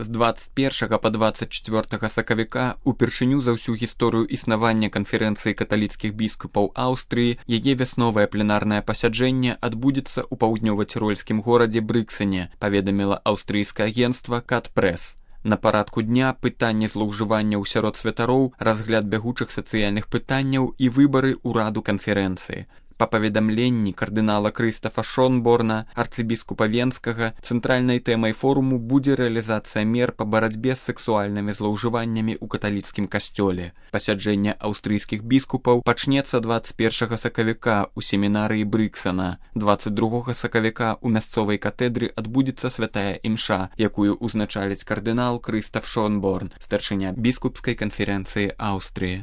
З 21 па 24 сакавіка упершыню за ўсю гісторыю існавання канферэнцыі каталіцкіх біскупаў Аўстрыі яе вясновае пленарнае пасяджэнне адбудзецца ў паўднёва-цірольскім горадзе Брыксене, паведаміла аўстрыйскае агенцтва Кат-Прэс. На парадку дня пытанне злоўжыванняў сярод святароў, разгляд бягучых сацыяльных пытанняў і выбары ўраду канферэнцыі. Па паведамленні кардынала Крыстафа Шонборна, арцыбіскупа Венскага, цэнтральнай тэмай форуму будзе рэалізацыя мер па барацьбе з сексуальнымі злоўжываннямі ў каталіцкім касцёле. Пасяджэнне аўстрыйскіх біскупаў пачнецца 21 сакавіка ў семінарыі Брыксена. 22 сакавіка ў мясцовай катедры адбудзецца святая імша, якую ўзначаліць кардынал Крыстаф Шонборн, старшыня біскупскай канферэнцыі Аўстрыі.